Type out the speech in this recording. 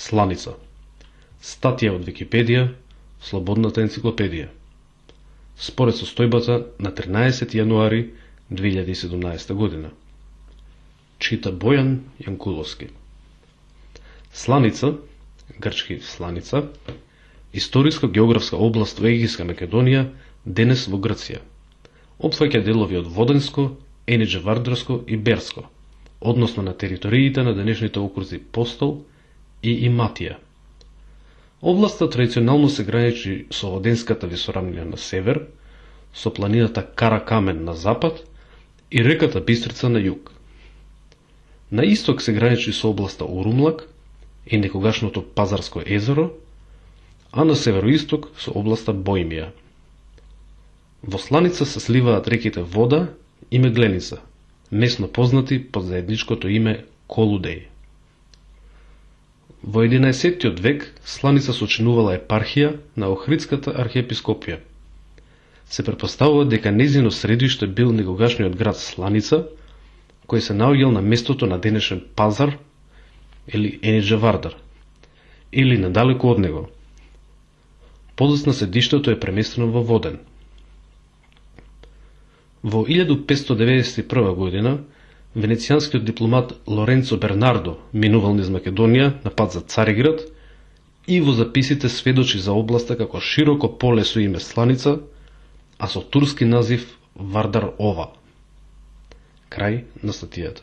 Сланица. Статија од Википедија, Слободната енциклопедија. Според состојбата на 13 јануари 2017 година. Чита Бојан Јанкуловски. Сланица, грчки Сланица, историска-географска област во Егејска Македонија, денес во Грција. Опфаќа делови од Воденско, Енидже-Вардарско и Берско, односно на териториите на денешните окрузи Постол и Иматија. Областа традиционално се граничи со Воденската висорамнина на север, со планината Каракамен на запад и реката Бистрица на југ. На исток се граничи со областа Урумлак и некогашното Пазарско езеро, а на североисток со областа Бојмија. Во Сланица се сливаат реките Вода и Мегленица, месно познати под заедничкото име Колудеј. Во 11. век Сланица сочинувала епархија на Охридската архиепископија. Се претпоставува дека нејзино средиште бил некогашниот град Сланица, кој се наоѓал на местото на денешен Пазар или Енидже-Вардар, или надалеку од него. Подоцна седиштето е преместено во Воден. Во 1591 година венецијанскиот дипломат Лоренцо Бернардо минувал низ Македонија на пат за Цариград и во записите сведочи за областа како широко поле со име Сланица, а со турски назив Вардар Ова. Крај на статијата.